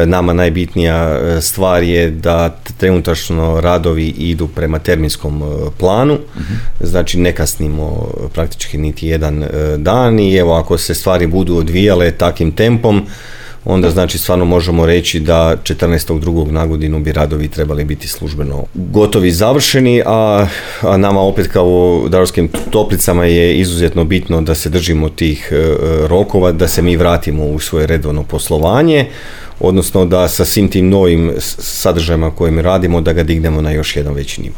nama najbitnija stvar je da trenutačno radovi idu prema terminskom planu, znači ne kasnimo praktički niti jedan dan i evo ako se stvari budu odvijale takim tempom, onda znači stvarno možemo reći da 14.2. na godinu bi radovi trebali biti službeno gotovi i završeni, a nama opet kao Daruvarskim toplicama je izuzetno bitno da se držimo tih rokova, da se mi vratimo u svoje redovno poslovanje, odnosno da sa svim tim novim sadržajima kojim radimo da ga dignemo na još jedan veći nivo.